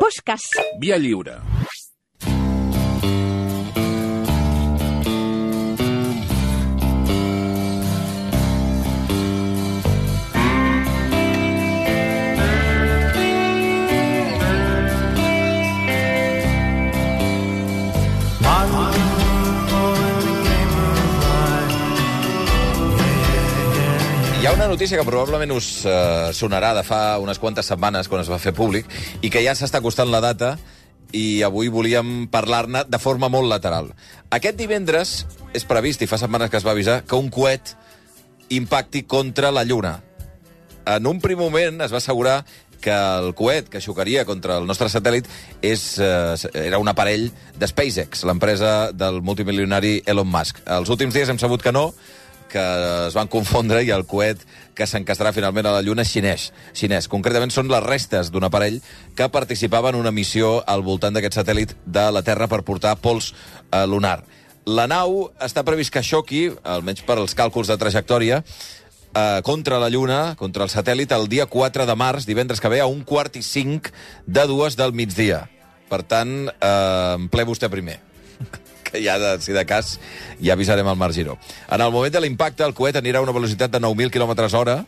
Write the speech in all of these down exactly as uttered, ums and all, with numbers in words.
Podcast. Via lliure. Hi ha una notícia que probablement us eh, sonarà de fa unes quantes setmanes, quan es va fer públic, i que ja s'està acostant la data, i avui volíem parlar-ne de forma molt lateral. Aquest divendres és previst, i fa setmanes que es va avisar, que un coet impacti contra la Lluna. En un primer moment es va assegurar que el coet que xocaria contra el nostre satèl·lit és, eh, era un aparell de SpaceX, l'empresa del multimilionari Elon Musk. Els últims dies hem sabut que no, que es van confondre i el coet que s'encastarà finalment a la Lluna és xinès. xinès. Concretament són les restes d'un aparell que participava en una missió al voltant d'aquest satèl·lit de la Terra per portar pols eh, lunar. La nau està previst que xoqui, almenys per als càlculs de trajectòria, eh, contra la Lluna, contra el satèl·lit, el dia quatre de març, divendres que ve, a un quart i cinc de dues del migdia. Per tant, eh, en ple vostè primer. Que ja, de, si de cas, ja avisarem el Marc Giró. En el moment de l'impacte, el coet anirà a una velocitat de nou mil quilòmetres hora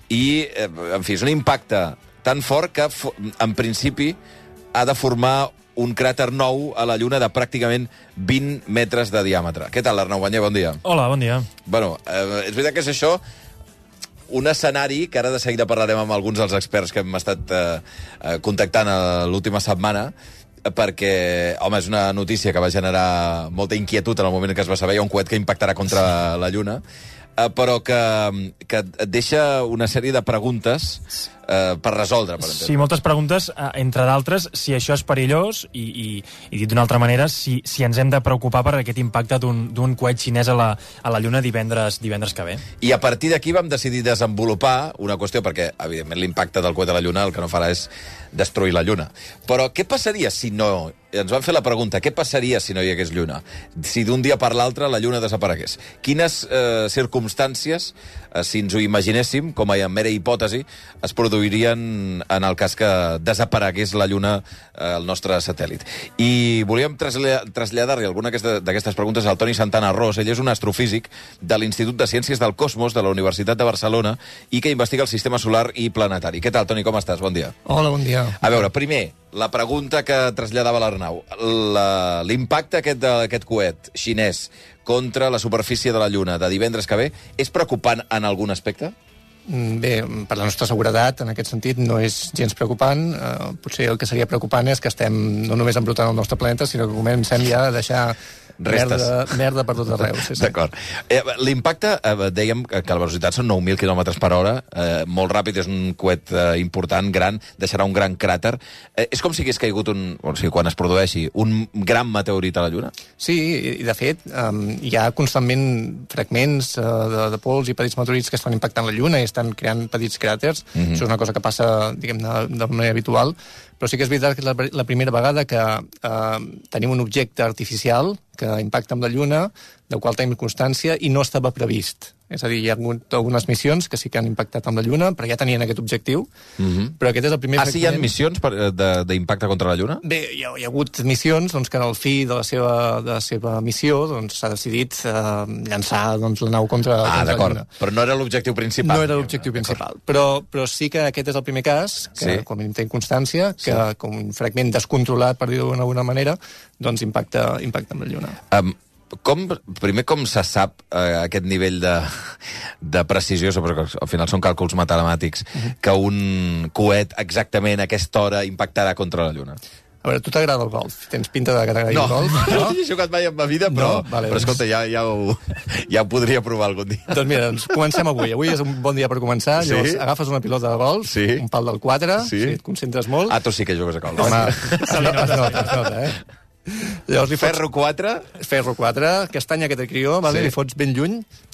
i, eh, en fi, és un impacte tan fort que, en principi, ha de formar un cràter nou a la Lluna de pràcticament vint metres de diàmetre. Què tal, Arnau Banyer? Bon dia. Hola, bon dia. Bueno, eh, és veritat que és això un escenari que ara de seguida parlarem amb alguns dels experts que hem estat eh, contactant l'última setmana, perquè, home, és una notícia que va generar molta inquietud en el moment en què es va saber. Hi ha un coet que impactarà contra la Lluna, però que, que et deixa una sèrie de preguntes eh, per resoldre, per entendre. Sí, moltes preguntes, entre d'altres, si això és perillós i, i, i dit d'una altra manera, si, si ens hem de preocupar per aquest impacte d'un coet xinès a la, a la Lluna divendres, divendres que ve. I a partir d'aquí vam decidir desenvolupar una qüestió, perquè, evidentment, l'impacte del coet a la Lluna el que no farà és destruir la Lluna. Però què passaria si no... Ens van fer la pregunta, què passaria si no hi hagués Lluna? Si d'un dia per l'altre la Lluna desaparegués. Quines eh, circumstàncies, eh, si ens ho imaginéssim, com a mera hipòtesi, es produirien en el cas que desaparegués la Lluna al eh, nostre satèl·lit? I volíem traslladar-li alguna d'aquestes preguntes al Toni Santana Ros. Ell és un astrofísic de l'Institut de Ciències del Cosmos de la Universitat de Barcelona i que investiga el sistema solar i planetari. Què tal, Toni, com estàs? Bon dia. Hola, bon dia. A veure, primer, la pregunta que traslladava l'Arnau. L'impacte aquest d'aquest coet xinès contra la superfície de la Lluna de divendres que ve és preocupant en algun aspecte? Bé, per la nostra seguretat, en aquest sentit, no és gens preocupant. Eh, potser el que seria preocupant és que estem no només embrutant el nostre planeta, sinó que comencem ja a deixar merda, merda per tot arreu. Sí, sí. D'acord. Eh, L'impacte, eh, dèiem que la velocitat són nou mil quilòmetres per hora, eh, molt ràpid, és un coet eh, important, gran, deixarà un gran cràter. Eh, és com si hagués caigut, un, o sigui, quan es produeixi, un gran meteorit a la Lluna? Sí, i de fet, um, hi ha constantment fragments uh, de, de pols i petits meteorits que estan impactant la Lluna i estan creant petits cràters. Mm-hmm. Això és una cosa que passa, diguem-ne, de manera habitual. Però sí que és veritat que és la, la primera vegada que eh, tenim un objecte artificial que impacta amb la Lluna, del qual tenim constància, i no estava previst. És a dir, hi ha hagut algunes missions que sí que han impactat amb la Lluna, però ja tenien aquest objectiu. Mm-hmm. Però aquest és el primer... Ah, sí, hi ha missions d'impacte contra la Lluna? Bé, hi ha, hi ha hagut missions doncs, que en el fi de la seva, de la seva missió s'ha doncs, decidit eh, llançar doncs, la nau contra, ah, contra la Lluna. Però no era l'objectiu principal. No era l'objectiu principal. Però, però sí que aquest és el primer cas, que sí. Com a mínim tenim constància, que sí. Com un fragment descontrolat, per dir-ho d'alguna manera, doncs impacta, impacta amb la Lluna. Um, Com, primer, com se sap eh, aquest nivell de, de precisió, perquè al final són càlculs matemàtics, uh-huh. que un coet exactament a aquesta hora impactarà contra la Lluna? A veure, tu t'agrada el golf? Tens pinta de que t'agrada no. el golf? No, no he jugat mai en ma vida, però, no? Vale, però escolta, ja, ja, ho, ja ho podria provar algun dia. Doncs mira, doncs comencem avui. Avui és un bon dia per començar. Sí? Llavors, agafes una pilota de golf, sí? Un pal del quatre, sí? Si et concentres molt... Ah, tu sí que jugues a golf. Home, es, es nota, es nota, eh? Llavors li fots... Ferro quatre? Ferro quatre, castanya que te crió, vale? Sí. Li fots ben lluny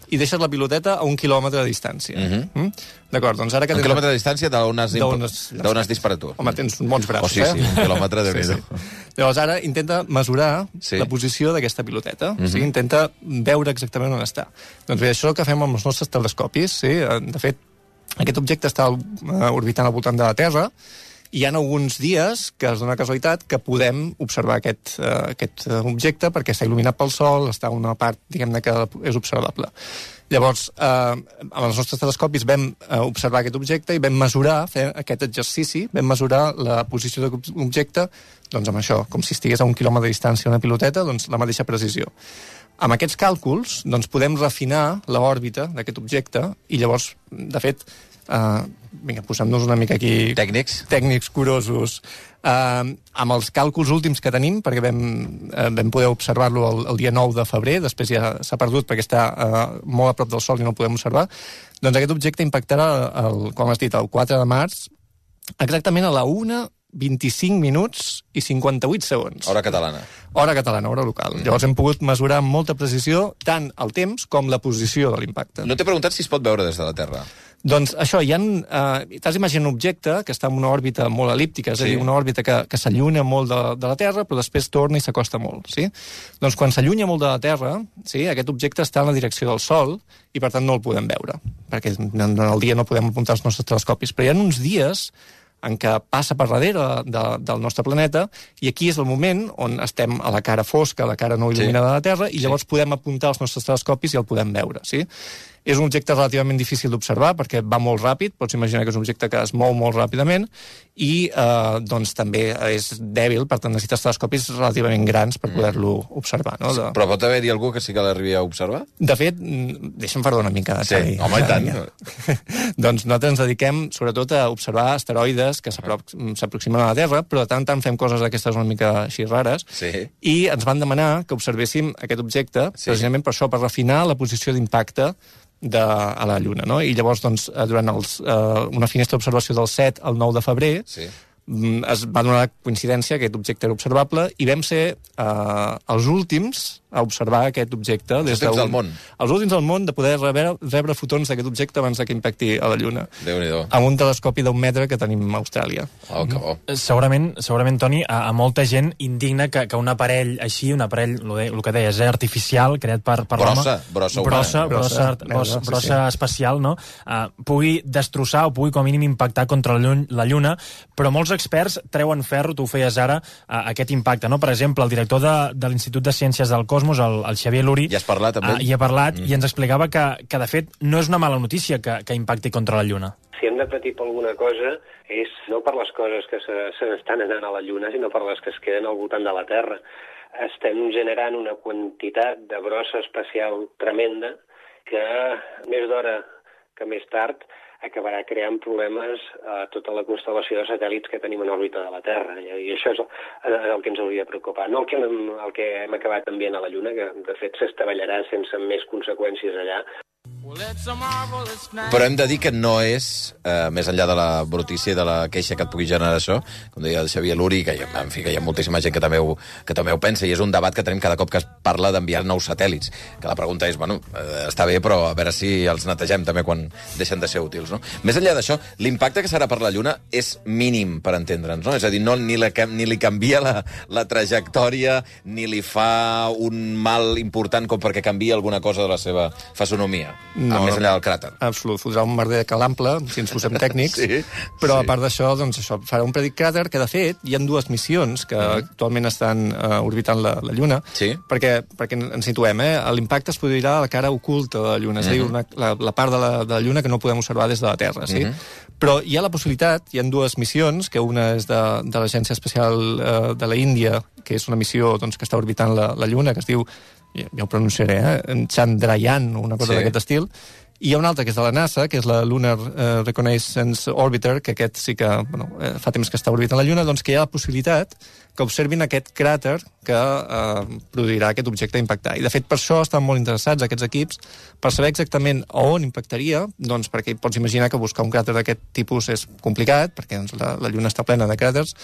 i deixes la piloteta a un quilòmetre de distància. Uh-huh. mm? D'acord, doncs ara que... Un tens... quilòmetre de distància d'on has, imp... has disparat tu. Home, tens bons braços, oh, sí, sí, eh? un quilòmetre de sí, sí. Llavors ara intenta mesurar sí. La posició d'aquesta piloteta. Uh-huh. O sigui, intenta veure exactament on està. Doncs bé, això que fem amb els nostres telescopis, sí? De fet, aquest objecte està orbitant al voltant de la Terra hi ha alguns dies que es dona casualitat que podem observar aquest, uh, aquest objecte perquè està il·luminat pel sol, està una part, diguem-ne, que és observable. Llavors, eh, amb els nostres telescopis vam eh, observar aquest objecte i vam mesurar, fer aquest exercici, vam mesurar la posició de l'objecte, doncs amb això, com si estigués a un quilòmetre de distància una piloteta, doncs la mateixa precisió. Amb aquests càlculs, doncs podem refinar l'òrbita d'aquest objecte i llavors, de fet, eh, vinga, posem-nos una mica aquí... Tècnics. Tècnics curosos. Uh, amb els càlculs últims que tenim, perquè vam, uh, vam poder observar-lo el, el dia nou de febrer, després ja s'ha perdut perquè està uh, molt a prop del Sol i no el podem observar, doncs aquest objecte impactarà, el, com has dit, el quatre de març, exactament a la una, vint-i-cinc minuts i cinquanta-vuit segons. Hora catalana. Hora catalana, hora local. Mm. Llavors hem pogut mesurar amb molta precisió tant el temps com la posició de l'impacte. No t'he preguntat si es pot veure des de la Terra. Doncs això, hi ha... Eh, T'has d'imaginar un objecte que està en una òrbita molt elíptica, és sí. a dir, una òrbita que, que s'allunya molt de, de la Terra, però després torna i s'acosta molt, sí? Doncs quan s'allunya molt de la Terra, sí, aquest objecte està en la direcció del Sol i, per tant, no el podem veure, perquè en el dia no podem apuntar els nostres telescopis. Però hi ha uns dies en què passa per darrere de, del nostre planeta, i aquí és el moment on estem a la cara fosca, a la cara no il·luminada sí. de la Terra, i llavors sí. podem apuntar els nostres telescopis i el podem veure, sí? És un objecte relativament difícil d'observar perquè va molt ràpid, pots imaginar que és un objecte que es mou molt ràpidament i eh, doncs també és dèbil, per tant necessites telescopis relativament grans per poder-lo observar. No? De... Però pot haver-hi algú que sí que l'arribi a observar? De fet, deixa'm fer-ho una mica. Sí, Xavi. Home, i tant. Doncs nosaltres ens dediquem sobretot a observar asteroides que s'aproximen a la Terra, però de tant en tant fem coses d'aquestes una mica així rares, sí. i ens van demanar que observéssim aquest objecte, sí. precisament per això, per refinar la posició d'impacte de, a la Lluna, no? I llavors, doncs, durant els, eh, una finestra d'observació del set al nou de febrer, sí. es va donar la coincidència que aquest objecte era observable i vam ser eh, els últims a observar aquest objecte. Els últims del món. Els últims del món de poder rebre, rebre fotons d'aquest objecte abans que impacti a la Lluna. Déu-n'hi-do. Amb un telescopi d'un metre que tenim a Austràlia. Oh, que bo. Segurament, segurament Toni, a, a molta gent indigna que, que un aparell així, un aparell, el que deies, eh, artificial, creat per, per l'home... Brossa, brossa humana. Brossa, brossa, brossa, brossa, brossa sí, sí. espacial, no? Uh, pugui destrossar o pugui com a mínim impactar contra la Lluna, la Lluna, però molts experts treuen ferro, tu ho feies ara, uh, aquest impacte, no? Per exemple, el director de, de l'Institut de Ciències del Cosmos, el, el Xavier Luri... Ja has parlat amb ell? Uh, hi ha parlat mm. i ens explicava que, que, de fet, no és una mala notícia que, que impacti contra la Lluna. Si hem de patir per alguna cosa és no per les coses que se, se n'estan anant a la Lluna, sinó per les que es queden al voltant de la Terra. Estem generant una quantitat de brossa espacial tremenda que més d'hora que més tard acabarà creant problemes a tota la constel·lació de satèl·lits que tenim en òrbita de la Terra. I això és el, el que ens hauria de preocupar. No el que, el que hem acabat enviant a la Lluna, que de fet s'estavellarà sense més conseqüències allà. Però hem de dir que no és, eh, més enllà de la brutícia i de la queixa que et pugui generar això, com deia el Xavier Luri, que, en fi, que hi ha moltíssima gent que també, ho, que també ho pensa, i és un debat que tenim cada cop que es parla d'enviar nous satèl·lits, que la pregunta és, bueno, eh, està bé, però a veure si els netegem també quan deixen de ser útils, no? Més enllà d'això, l'impacte que serà per la Lluna és mínim, per entendre'ns, no? És a dir, no, ni, la, ni li canvia la, la trajectòria, ni li fa un mal important com perquè canvia alguna cosa de la seva fisonomia. No, més enllà del cràter. Absolut, fotrà un merder de calample, si ens posem tècnics, sí, però sí. a part d'això, doncs això, farà un petit cràter que, de fet, hi ha dues missions que mm. actualment estan uh, orbitant la, la Lluna, sí. perquè, perquè ens situem, eh? L'impacte es produirà a la cara oculta de la Lluna, mm. és a dir, una, la, la part de la, de la Lluna que no podem observar des de la Terra, sí? Mm. Però hi ha la possibilitat, hi ha dues missions, que una és de, de l'Agència Espacial uh, de la Índia, que és una missió doncs, que està orbitant la, la Lluna, que es diu, ja, ja ho pronunciaré, eh? Chandrayaan, una cosa sí. d'aquest estil, i hi ha una altra que és de la NASA, que és la Lunar uh, Reconnaissance Orbiter, que aquest sí que bueno, eh, fa temps que està orbitant la Lluna, doncs que hi ha la possibilitat que observin aquest cràter que eh, produirà aquest objecte a impactar. I, de fet, per això estan molt interessats aquests equips, per saber exactament a on impactaria, doncs perquè pots imaginar que buscar un cràter d'aquest tipus és complicat, perquè doncs, la, la Lluna està plena de cràters,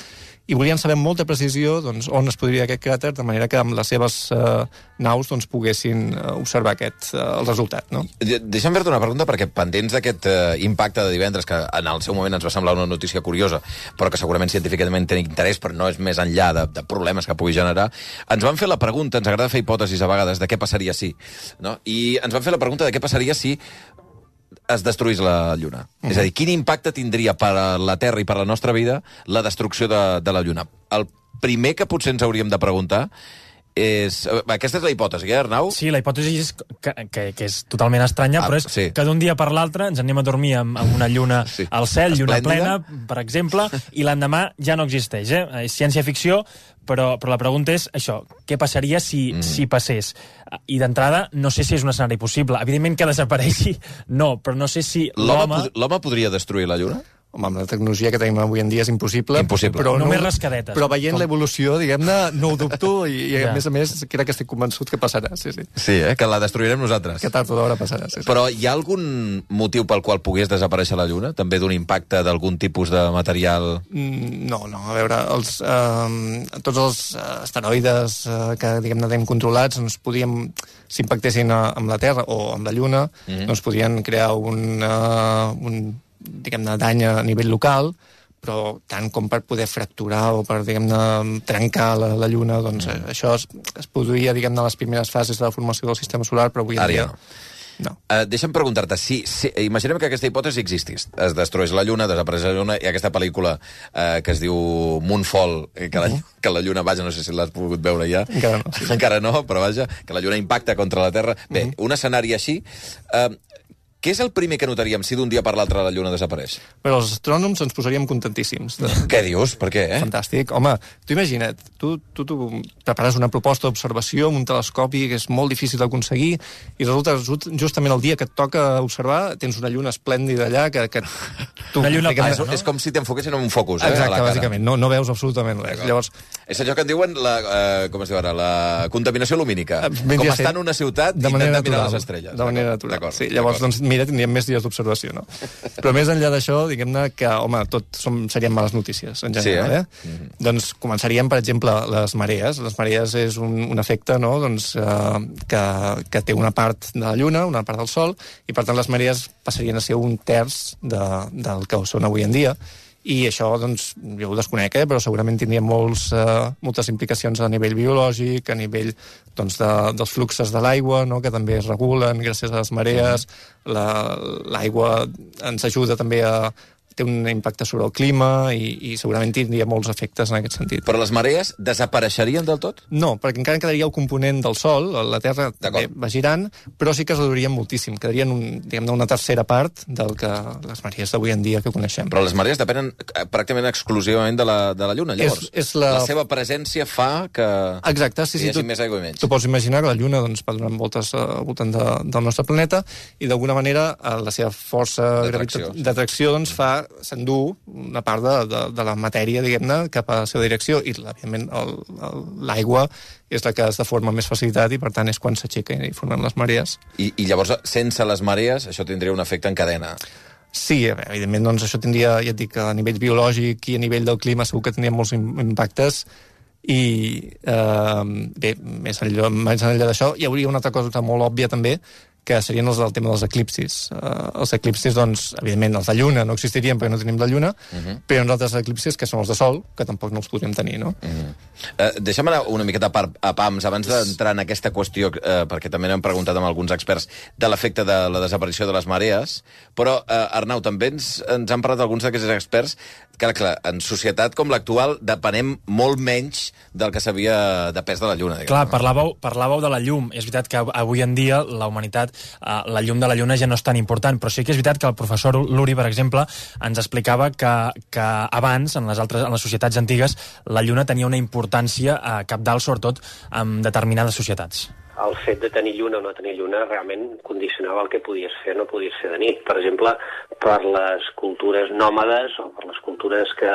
i volien saber amb molta precisió doncs, on es podria aquest cràter, de manera que amb les seves eh, naus doncs, poguessin eh, observar aquest, eh, el resultat. No? Deixa'm fer-te una pregunta, perquè pendents d'aquest eh, impacte de divendres, que en el seu moment ens va semblar una notícia curiosa, però que segurament científicament té interès, però no és més enllà de, de problemes que pugui generar, ens van fer la pregunta, ens agrada fer hipòtesis a vegades, de què passaria si. No? I ens van fer la pregunta de què passaria si es destruís la Lluna? Mm. És a dir, quin impacte tindria per a la Terra i per a la nostra vida la destrucció de, de la Lluna? El primer que potser ens hauríem de preguntar és... Aquesta és la hipòtesi, eh, Arnau? Sí, la hipòtesi és que, que, que és totalment estranya, ah, però és sí. que d'un dia per l'altre ens anem a dormir amb, amb una lluna sí. al cel, lluna plena, per exemple, i l'endemà ja no existeix. Eh? És ciència-ficció, però, però la pregunta és això, què passaria si, mm. si passés? I d'entrada, no sé si és un escenari possible. Evidentment que desapareixi, no, però no sé si l'home... L'home podria destruir la lluna? Home, amb la tecnologia que tenim avui en dia és impossible. Impossible. Però Només no, rascadetes. Però veient Com... l'evolució, diguem-ne, no ho dubto i, i ja. a més a més crec que estic convençut que passarà. Sí, sí. Sí, eh? Que la destruirem nosaltres. Que tard o d'hora passarà, sí, sí. Però hi ha algun motiu pel qual pogués desaparèixer la Lluna? També d'un impacte d'algun tipus de material? Mm, no, no. A veure, els, eh, tots els asteroides eh, que, diguem-ne, tenim controlats, doncs podíem, si impactessin amb la Terra o amb la Lluna, mm-hmm. doncs podien crear un... Uh, un diguem-ne, dany a nivell local, però tant com per poder fracturar o per, diguem-ne, trencar la, la Lluna, doncs mm. això es, es produïa, diguem-ne, a les primeres fases de la formació del sistema solar, però avui en dia... No. No. Uh, deixa'm preguntar-te, si, si, imaginem que aquesta hipòtesi existís. Es destrueix la Lluna, desapareix la Lluna, i aquesta pel·lícula uh, que es diu Moonfall, que la, uh-huh. que la Lluna, vaja, no sé si l'has pogut veure ja. Encara no. Sí. Encara no, però vaja, que la Lluna impacta contra la Terra. Bé, uh-huh. un escenari així... Uh, Què és el primer que notaríem si d'un dia per l'altre la Lluna desapareix? Però els astrònoms ens posaríem contentíssims. De... Què dius? Per què, eh? Fantàstic. Home, tu imagina't, tu, tu, tu prepares una proposta d'observació amb un telescopi que és molt difícil d'aconseguir i resulta justament el dia que et toca observar tens una lluna esplèndida allà que... que tu, una lluna plena, no? És com si t'enfoquessin en un focus, eh? Exacte, bàsicament. No, no veus absolutament res. Llavors... És allò que en diuen la, uh, com es diu ara, la contaminació lumínica. Ben com estar en una ciutat de i manera intentar mirar natural, les estrelles. De manera natural. Sí, llavors, doncs, mira, tindríem més dies d'observació, no? Però més enllà d'això, diguem-ne que, home, tot som, serien males notícies, en general, sí, eh? eh? Mm-hmm. Doncs començaríem, per exemple, les marees. Les marees és un, un efecte, no?, doncs, eh, que, que té una part de la Lluna, una part del Sol, i per tant les marees passarien a ser un terç de, del que són avui en dia. I això, doncs, jo ho desconec, eh, però segurament tindria molts, eh, moltes implicacions a nivell biològic, a nivell doncs, de, dels fluxos de l'aigua, no?, que també es regulen gràcies a les marees. La, l'aigua ens ajuda també a... té un impacte sobre el clima i, i segurament tindria molts efectes en aquest sentit. Però les marees desapareixerien del tot? No, perquè encara quedaria el component del Sol, la Terra també va girant, però sí que es reduirien moltíssim. Quedarien un, diguem-ne, una tercera part del que les marees d'avui en dia que coneixem. Però les marees depenen pràcticament exclusivament de la, de la Lluna, llavors. És, és la... la seva presència fa que Exacte, sí, sí, hi hagi tu, més aigua i menys. Tu pots imaginar que la Lluna doncs, va donant voltes al voltant de, del nostre planeta i d'alguna manera la seva força d'atracció doncs, fa s'endú una part de, de, de la matèria, diguem-ne, cap a la seva direcció i, òbviament, el, el, l'aigua és la que es deforma amb més facilitat i, per tant, és quan s'aixeca i formen les marees. I, I llavors, sense les marees, això tindria un efecte en cadena. Sí, evidentment, doncs això tindria, ja et dic, a nivell biològic i a nivell del clima segur que tindria molts impactes i, eh, bé, més enllà, més enllà d'això, hi hauria una altra cosa molt òbvia també, que serien els del tema dels eclipsis. Uh, els eclipsis, doncs, evidentment, els de Lluna no existirien perquè no tenim la Lluna, uh-huh. però hi ha uns altres eclipsis que són els de Sol, que tampoc no els podríem tenir, no? Uh-huh. Uh, deixa'm anar una miqueta a, a pams, abans d'entrar en aquesta qüestió, uh, perquè també n'hem preguntat amb alguns experts de l'efecte de la desaparició de les marees, però, uh, Arnau, també ens, ens han parlat alguns d'aquests experts que, clar, en societat com l'actual depenem molt menys del que s'havia depès de la Lluna. Diguem, clar, no? parlàveu, parlàveu de la llum. És veritat que avui en dia la humanitat Uh, la llum de la Lluna ja no és tan important, però sí que és veritat que el professor Luri, per exemple, ens explicava que, que abans, en les, altres, en les societats antigues, la Lluna tenia una importància uh, cabdal, sobretot, en determinades societats. El fet de tenir lluna o no tenir lluna realment condicionava el que podies fer o no podies fer de nit. Per exemple, per les cultures nòmades o per les cultures que...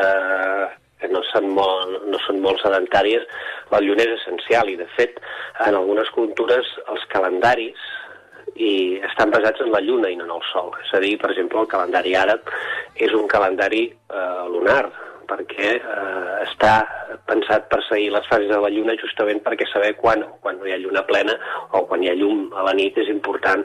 que no són, molt, no són molt sedentàries, la lluna és essencial i, de fet, en algunes cultures els calendaris i estan basats en la lluna i no en el sol. És a dir, per exemple, el calendari àrab és un calendari eh, lunar, perquè eh, està pensat per seguir les fases de la lluna justament perquè saber quan, quan no hi ha lluna plena o quan hi ha llum a la nit és important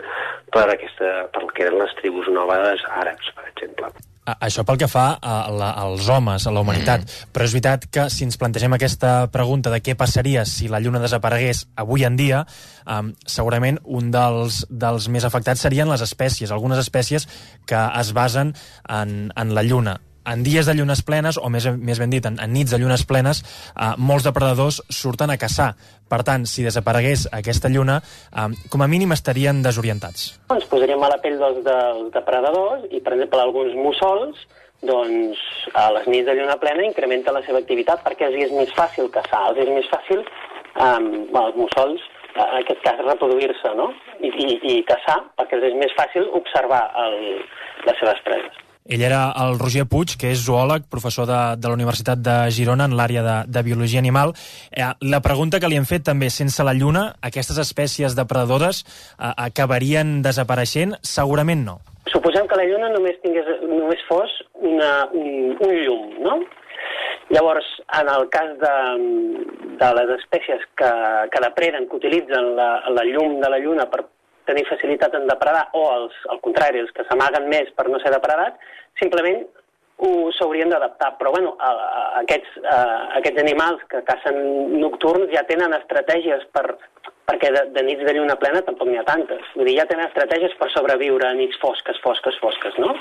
per, aquesta, per el que eren les tribus nòmades àrabs, per exemple. Això pel que fa a la, als homes, a la humanitat. Mm. Però és veritat que si ens plantegem aquesta pregunta de què passaria si la Lluna desaparegués avui en dia, um, segurament un dels, dels més afectats serien les espècies, algunes espècies que es basen en, en la Lluna. En dies de llunes plenes, o més, més ben dit, en, en nits de llunes plenes, eh, molts depredadors surten a caçar. Per tant, si desaparegués aquesta lluna, eh, com a mínim estarien desorientats. Ens posaríem a la pell dels, dels depredadors i, per exemple, alguns mussols, doncs, a les nits de lluna plena incrementa la seva activitat perquè els és més fàcil caçar, els és més fàcil, eh, bueno, els mussols, en aquest cas, reproduir-se, no? I, i, i caçar, perquè els és més fàcil observar el, les seves preses. Ell era el Roger Puig, que és zoòleg, professor de, de la Universitat de Girona en l'àrea de, de biologia animal. Eh, la pregunta que li hem fet també, sense la Lluna, aquestes espècies depredadores eh, acabarien desapareixent? Segurament no. Suposem que la Lluna només, tingués, només fos una, un, un llum, no? Llavors, en el cas de, de les espècies que, que depreden, que utilitzen la, la llum de la Lluna per tenir facilitat en depredar, o els, al contrari, els que s'amaguen més per no ser depredats, simplement s'haurien d'adaptar. Però bueno, a, a, aquests, a, aquests animals que cacen nocturns ja tenen estratègies per, perquè de, de nits de lluna plena tampoc n'hi ha tantes. Vull dir, ja tenen estratègies per sobreviure a nits fosques, fosques, fosques, no?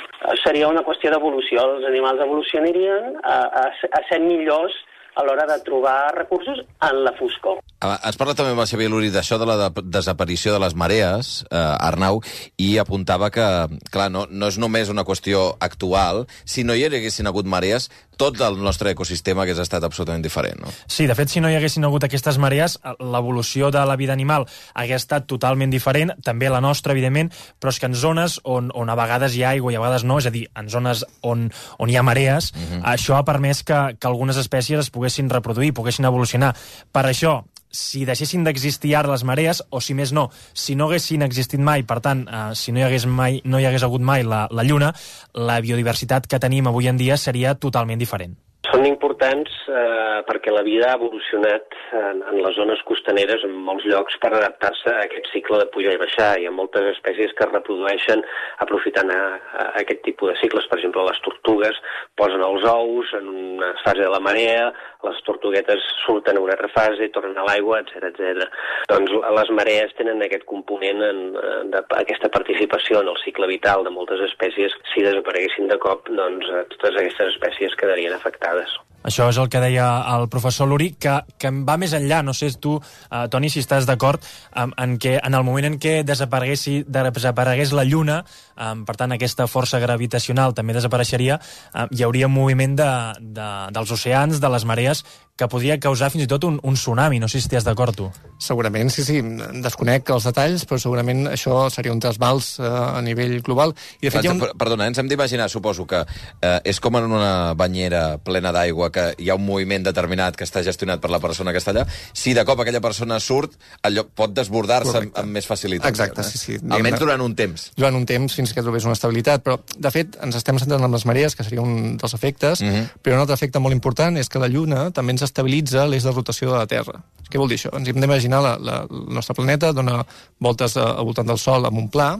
Seria una qüestió d'evolució. Els animals evolucionarien a, a, a ser millors a l'hora de trobar recursos en la foscor. Has parlat també amb el Xavier Luri d'això de la de desaparició de les marees, eh, Arnau, i apuntava que, clar, no, no és només una qüestió actual. Si no hi haguessin hagut marees, tot el nostre ecosistema hagués estat absolutament diferent, no? Sí, de fet, si no hi haguessin hagut aquestes marees, l'evolució de la vida animal hagués estat totalment diferent, també la nostra, evidentment, però és que en zones on, on a vegades hi ha aigua i a vegades no, és a dir, en zones on, on hi ha marees, uh-huh. això ha permès que, que algunes espècies es poguessin reproduir, poguessin evolucionar. Per això, si deixessin d'existir ara les marees, o si més no, si no haguessin existit mai, per tant, eh, si no hi hagués mai, no hi hagués hagut mai la, la Lluna, la biodiversitat que tenim avui en dia seria totalment diferent. Són importants eh, perquè la vida ha evolucionat en, en les zones costaneres en molts llocs per adaptar-se a aquest cicle de pujar i baixar. Hi ha moltes espècies que es reprodueixen aprofitant a, a aquest tipus de cicles. Per exemple, les tortugues posen els ous en una fase de la marea, les tortuguetes surten a una altra fase i tornen a l'aigua, etcètera, etcètera. Doncs les marees tenen aquest component, en, de, aquesta participació en el cicle vital de moltes espècies. Si desapareguessin de cop, doncs totes aquestes espècies quedarien afectades. Això és el que deia el professor Luri, que, que va més enllà. No sé tu, eh, Toni, si estàs d'acord en, en que en el moment en què desaparegués, desaparegués la Lluna, eh, per tant aquesta força gravitacional també desapareixeria, eh, hi hauria un moviment de, de, dels oceans, de les marees, que podria causar fins i tot un, un tsunami. No sé si estàs d'acord, tu. Segurament, sí, sí. Desconec els detalls, però segurament això seria un trasbals eh, a nivell global. I de fet, Clar, un... Perdona, ens hem d'imaginar, suposo, que eh, és com en una banyera plena d'aigua, que hi ha un moviment determinat que està gestionat per la persona que està allà. Si de cop aquella persona surt, allò pot desbordar-se amb, amb més facilitat. Exacte, eh? sí, sí. Almenys durant un temps. Durant un temps, fins que trobés una estabilitat. Però, de fet, ens estem centrant en les marees, que seria un dels efectes, uh-huh. però un altre efecte molt important és que la Lluna també ens estabilitza l'eix de rotació de la Terra. Què vol dir això? Ens hem d'imaginar la, la, el nostre planeta dona voltes al voltant del Sol amb un pla,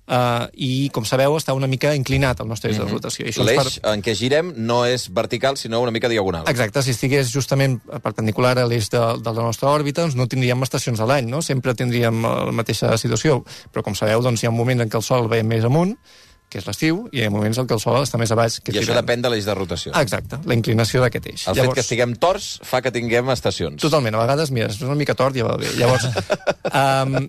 Uh, i, com sabeu, està una mica inclinat el nostre eix mm-hmm. de rotació. L'eix per... en què girem no és vertical, sinó una mica diagonal. Exacte, si estigués justament perpendicular a l'eix de, de la nostra òrbita, doncs no tindríem estacions a l'any, no? Sempre tindríem la mateixa situació. Però, com sabeu, doncs hi ha un moment en què el Sol ve més amunt, que és l'estiu, i hi ha moments en què el Sol està més a baix. Que I això depèn de l'eix de rotació. Exacte, la inclinació d'aquest eix. El Llavors... fet que estiguem torts fa que tinguem estacions. Totalment, a vegades, mira, és una mica tort ja va bé. Llavors, um,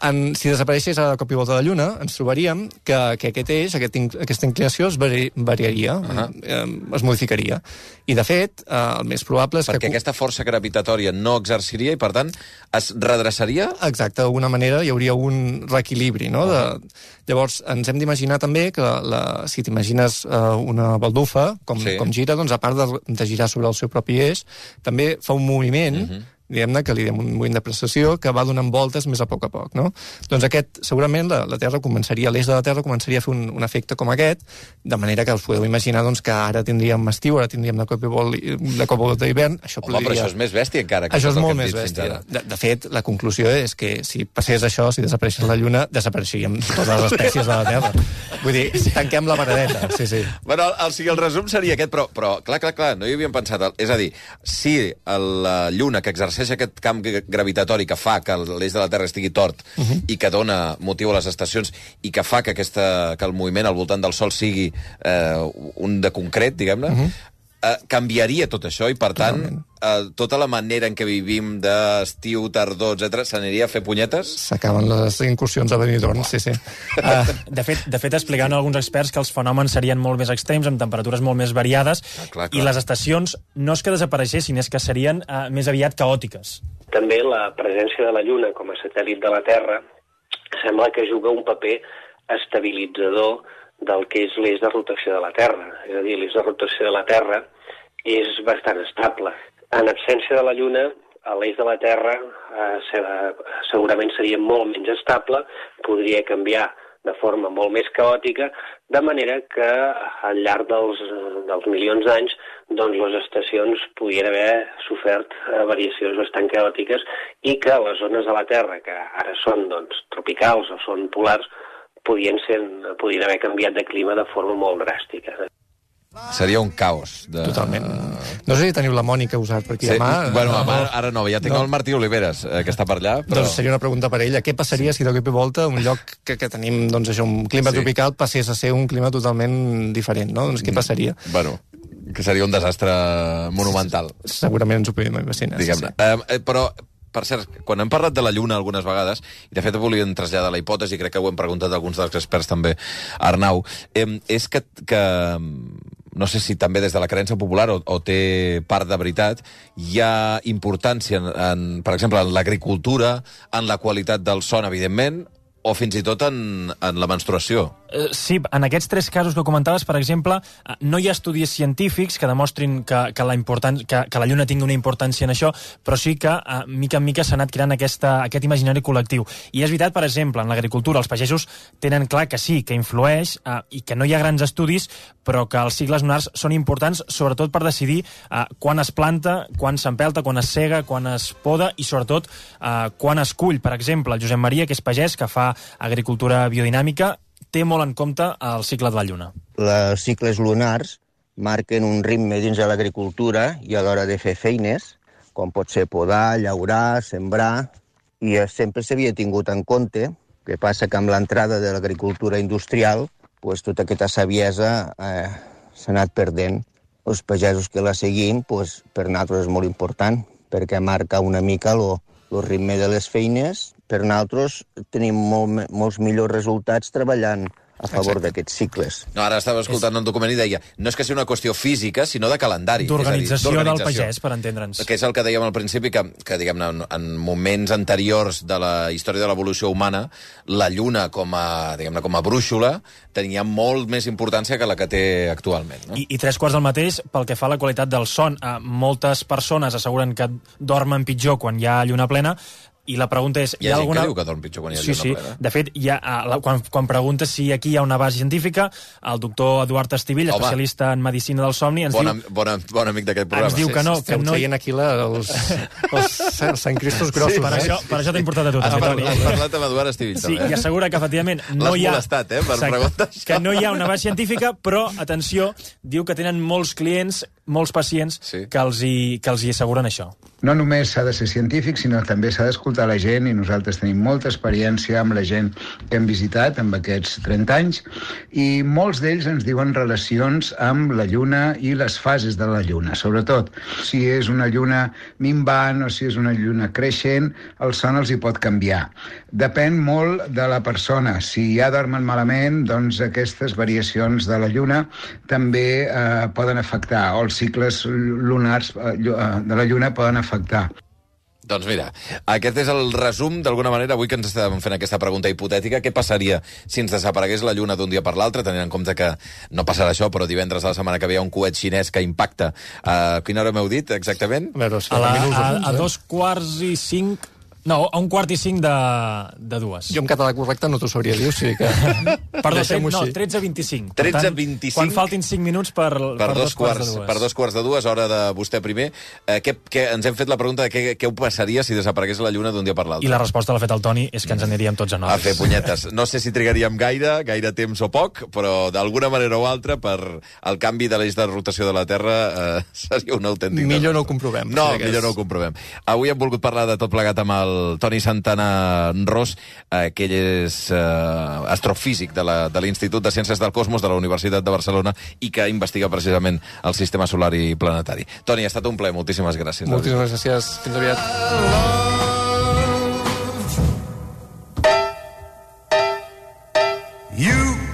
en, si desapareixés a cop i volta de la Lluna, ens trobaríem que, que aquest eix, aquest, aquesta inclinació es vari, variaria, uh -huh. eh, es modificaria. I, de fet, eh, el més probable és Perquè que... Perquè aquesta força gravitatòria no exerciria i, per tant, es redreçaria? Exacte, d'alguna manera hi hauria un reequilibri, no? Uh -huh. de... Llavors, ens hem d'imaginar també que la, la, si t'imagines eh, una baldufa, com, sí. com gira, doncs a part de, de girar sobre el seu propi eix, també fa un moviment uh -huh. diguem-ne, que li diem un moviment de precessió, que va donant voltes més a poc a poc, no? Doncs aquest, segurament, la, la Terra començaria, l'eix de la Terra començaria a fer un, un efecte com aquest, de manera que us podeu imaginar doncs, que ara tindríem estiu, ara tindríem de cop i vol, de cop i volta d'hivern. Això Home, podria... però això és més bèstia encara. Que això és tot molt el que hem més dit fins bèstia. ara. De, de fet, la conclusió és que si passés això, si desapareixés la Lluna, desapareixeríem totes les espècies de la Terra. Vull dir, tanquem la paradeta. Sí, sí. Bueno, el, o sigui, el resum seria aquest, però, però clar, clar, clar, no hi havíem pensat. És a dir, si la Lluna, que exerceix aquest camp gravitatori que fa que l'eix de la Terra estigui tort uh -huh. i que dona motiu a les estacions i que fa que, aquesta, que el moviment al voltant del Sol sigui eh, un de concret, diguem-ne, uh -huh. eh, canviaria tot això i, per tant, eh, tota la manera en què vivim d'estiu, tardor, etcètera, s'aniria a fer punyetes? S'acaben les incursions a Benidorm, sí, sí. Uh, de, fet, de fet, explicaven alguns experts que els fenòmens serien molt més extrems, amb temperatures molt més variades, ah, clar, clar. i les estacions no és que desapareixessin, és que serien uh, més aviat caòtiques. També la presència de la Lluna com a satèl·lit de la Terra sembla que juga un paper estabilitzador del que és l'eix de rotació de la Terra. És a dir, l'eix de rotació de la Terra és bastant estable. En absència de la Lluna, l'eix de la Terra eh, segurament seria molt menys estable, podria canviar de forma molt més caòtica, de manera que al llarg dels, dels milions d'anys doncs les estacions podrien haver sofert eh, variacions bastant caòtiques i que les zones de la Terra, que ara són doncs, tropicals o són polars, podien, ser, podien haver canviat de clima de forma molt dràstica. Seria un caos. De... Totalment. No sé si teniu la Mònica usat per aquí sí, demà. bueno, no, ara, ara no, ja tinc no. el Martí Oliveres, eh, que està per allà. Però... Doncs seria una pregunta per ella. Què passaria si de cop i volta un lloc que, que tenim, doncs això, un clima sí. tropical passés a ser un clima totalment diferent, no? Doncs què passaria? Bueno, que seria un desastre monumental. Segurament ens ho podem imaginar. Diguem-ne. Sí, sí. Eh, però... Per cert, quan hem parlat de la Lluna algunes vegades, i de fet volíem traslladar la hipòtesi, crec que ho hem preguntat a alguns dels experts també, Arnau, eh, és que, que no sé si també des de la creença popular o, o té part de veritat, hi ha importància, en, en, per exemple, en l'agricultura, en la qualitat del son, evidentment, o fins i tot en, en la menstruació. Sí, en aquests tres casos que comentaves, per exemple, no hi ha estudis científics que demostrin que, que, la, importància, que, que la Lluna tingui una importància en això, però sí que, mica en mica, s'ha anat creant aquesta, aquest imaginari col·lectiu. I és veritat, per exemple, en l'agricultura, els pagesos tenen clar que sí, que influeix, eh, i que no hi ha grans estudis, però que els cicles lunars són importants, sobretot per decidir eh, quan es planta, quan s'empelta, quan es sega, quan es poda, i sobretot eh, quan es cull. Per exemple, el Josep Maria, que és pagès, que fa agricultura biodinàmica, té molt en compte el cicle de la Lluna. Els cicles lunars marquen un ritme dins de l'agricultura i a l'hora de fer feines, com pot ser podar, llaurar, sembrar, i sempre s'havia tingut en compte. Que passa que amb l'entrada de l'agricultura industrial, pues, tota aquesta saviesa eh, s'ha anat perdent. Els pagesos que la seguim, pues, per nosaltres és molt important, perquè marca una mica el ritme de les feines. Per nosaltres tenim molt, molts millors resultats treballant a favor d'aquests cicles. No, ara estava escoltant és... un document i deia no és que sigui una qüestió física, sinó de calendari. D'organització del pagès, per entendre'ns. Que és el que dèiem al principi, que, que diguem-ne, en, en moments anteriors de la història de l'evolució humana, la Lluna com a, diguem-ne, com a brúixola tenia molt més importància que la que té actualment. No? I, I tres quarts del mateix pel que fa a la qualitat del son. Eh, moltes persones asseguren que dormen pitjor quan hi ha lluna plena, i la pregunta és... Hi ha, hi ha gent alguna... que diu que dorm pitjor quan hi ha sí, lluna sí. plena. De fet, hi ha, la, quan, quan preguntes si aquí hi ha una base científica, el doctor Eduard Estivill, Home. especialista en medicina del somni, ens bon, diu... Bon, bon amic d'aquest programa. Ens diu que no... Esteu que no... traient aquí la, els, els, els Sant Cristos grossos. Sí, per, eh? això, per això t'he importat a tu. Has, també, parlat, has parlat amb Eduard Estivill, sí, també. I assegura que, efectivament, no hi ha... L'has molestat, eh, per preguntar això. Que no hi ha una base científica, però, atenció, diu que tenen molts clients, molts pacients, sí. que, els hi, que els hi asseguren això. No només s'ha de ser científic, sinó també s'ha d'escoltar la gent, i nosaltres tenim molta experiència amb la gent que hem visitat amb aquests trenta anys, i molts d'ells ens diuen relacions amb la Lluna i les fases de la Lluna. Sobretot, si és una lluna minvant o si és una lluna creixent, el son els hi pot canviar. Depèn molt de la persona. Si ja dormen malament, doncs aquestes variacions de la Lluna també eh, poden afectar, o els cicles lunars eh, de la Lluna poden afectar. Doncs mira, aquest és el resum, d'alguna manera, avui que ens estàvem fent aquesta pregunta hipotètica, què passaria si ens desaparegués la Lluna d'un dia per l'altre, tenint en compte que no passarà això, però divendres de la setmana que ve hi ha un coet xinès que impacta. A quina hora m'heu dit, exactament? A veure, si A, la, minuts, a, eh? a dos quarts i cinc... No, a un quart i cinc de, de dues. Jo en català correcte no t'ho sabria dir, o sigui que... Perdó, deixem-ho no, així. tretze vint-i-cinc. tretze vint-i-cinc. Quan faltin cinc minuts per, Per, per dos, dos quarts quarts, de dues. per dos quarts de dues, hora de vostè primer. Eh, què, què, ens hem fet la pregunta de què, què ho passaria si desaparegués la Lluna d'un dia per l'altre. I la resposta l'ha fet el Toni, és que ens aniríem tots a A noves. fer punyetes. No sé si trigaríem gaire, gaire temps o poc, però d'alguna manera o altra, per el canvi de l'eix de rotació de la Terra, eh, seria un autèntic... Millor no ho desastre. comprovem. No, Sí, que millor és- no ho comprovem. Avui hem volgut parlar de tot plegat amb el Toni Santana Ros, eh, que ell és eh, astrofísic de la- de l'Institut de Ciències del Cosmos de la Universitat de Barcelona i que investiga precisament el sistema solar i planetari. Toni, ha estat un plaer. Moltíssimes gràcies. Moltíssimes gràcies. Fins aviat. You